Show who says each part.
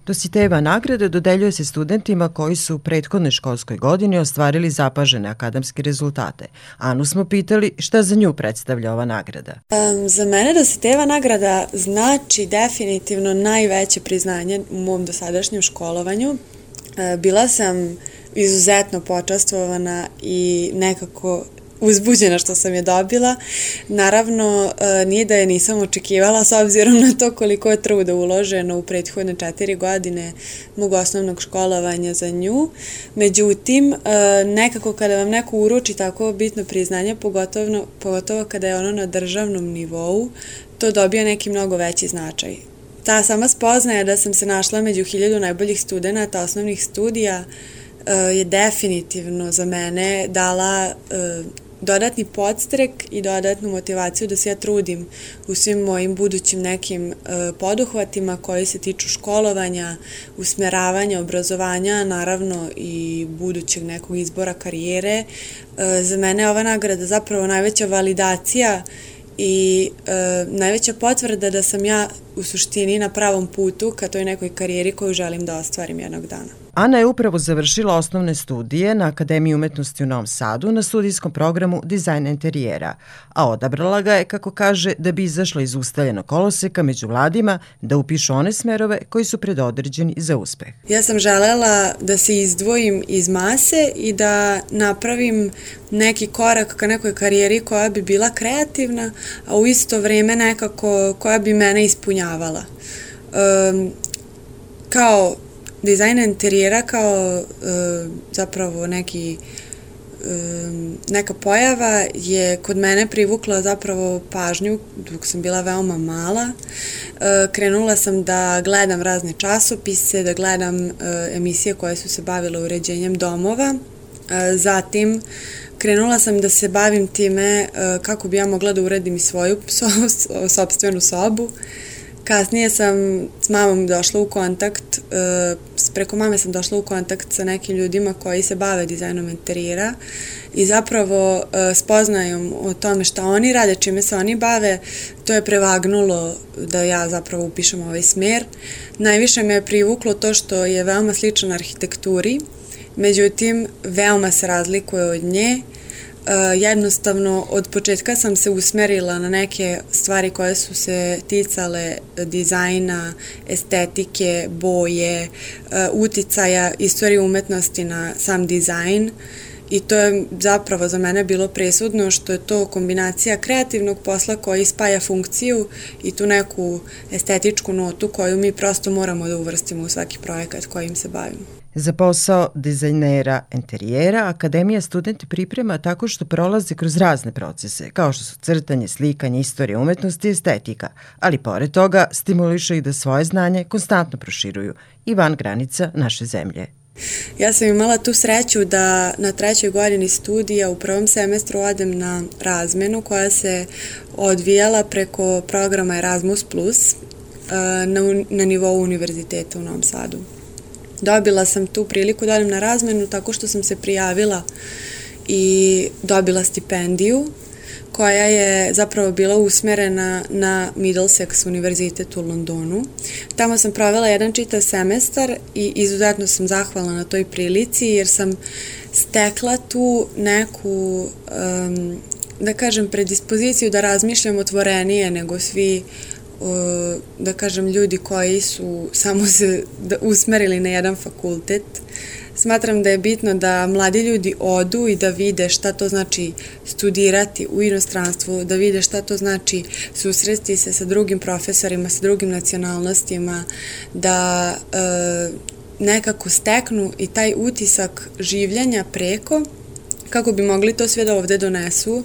Speaker 1: Dositejeva nagrada dodeljuje se studentima koji su u prethodnoj školskoj godini ostvarili zapažene akademske rezultate. Anu smo pitali šta za nju predstavlja ova nagrada.
Speaker 2: Za mene Dositejeva nagrada znači definitivno najveće priznanje u mom dosadašnjem školovanju. Bila sam izuzetno počastvovana i nekako uzbuđena što sam je dobila. Naravno, nije da je nisam očekivala s obzirom na to koliko je truda uloženo u prethodne 4 godine mog osnovnog školovanja za nju. Međutim, nekako kada vam neko uruči tako bitno priznanje, pogotovo kada je ono na državnom nivou, to dobija neki mnogo veći značaj. Ta sama spoznaja da sam se našla među 1000 najboljih studenata osnovnih studija je definitivno za mene dala dodatni podstrek i dodatnu motivaciju da se ja trudim u svim mojim budućim nekim poduhvatima koji se tiču školovanja, usmeravanja, obrazovanja, naravno i budućeg nekog izbora karijere. Za mene je ova nagrada zapravo najveća validacija i najveća potvrda da sam ja u suštini na pravom putu ka toj nekoj karijeri koju želim da ostvarim jednog dana.
Speaker 1: Ana je upravo završila osnovne studije na Akademiji umetnosti u Novom Sadu na studijskom programu Dizajn interijera, a odabrala ga je, kako kaže, da bi izašla iz ustaljenog koloseka među mladima da upišu one smerove koji su predodređeni za uspeh.
Speaker 2: Ja sam želela da se izdvojim iz mase i da napravim neki korak ka nekoj karijeri koja bi bila kreativna, a u isto vrijeme nekako koja bi mene ispunjavala. Kao dizajn interijera, kao zapravo neka pojava je kod mene privukla zapravo pažnju dok sam bila veoma mala. Krenula sam da gledam razne časopise, da gledam emisije koje su se bavile uređenjem domova. Zatim krenula sam da se bavim time kako bi ja mogla da uredim i svoju sopstvenu sobu. Kasnije sam s mamom došla u kontakt, preko mame sam došla u kontakt sa nekim ljudima koji se bave dizajnom interijera i zapravo spoznajom o tome šta oni rade, čime se oni bave, to je prevagnulo da ja zapravo upišem ovaj smer. Najviše me je privuklo to što je veoma sličan arhitekturi, međutim veoma se razlikuje od nje. Jednostavno, od početka sam se usmerila na neke stvari koje su se ticale dizajna, estetike, boje, uticaja, istorije umetnosti na sam dizajn i to je zapravo za mene bilo presudno što je to kombinacija kreativnog posla koji spaja funkciju i tu neku estetičku notu koju mi prosto moramo da uvrstimo u svaki projekat kojim se bavimo.
Speaker 1: Za posao dizajnera interijera Akademija studente priprema tako što prolaze kroz razne procese, kao što su crtanje, slikanje, istorija umetnosti i estetika, ali pored toga stimuliše ih da svoje znanje konstantno proširuju i van granica naše zemlje.
Speaker 2: Ja sam imala tu sreću da na 3. godini studija u 1. semestru odem na razmenu koja se odvijala preko programa Erasmus+, na nivou univerziteta u Novom Sadu. Dobila sam tu priliku da odem na razmenu tako što sam se prijavila i dobila stipendiju koja je zapravo bila usmerena na Middlesex univerzitet u Londonu. Tamo sam provela jedan čitav semestar i izuzetno sam zahvalna na toj prilici jer sam stekla tu neku, da kažem, predispoziciju da razmišljam otvorenije nego svi da kažem ljudi koji su samo se usmerili na jedan fakultet. Smatram da je bitno da mladi ljudi odu i da vide šta to znači studirati u inostranstvu, da vide šta to znači susresti se sa drugim profesorima, sa drugim nacionalnostima, da nekako steknu i taj utisak življenja preko kako bi mogli to sve da ovde donesu.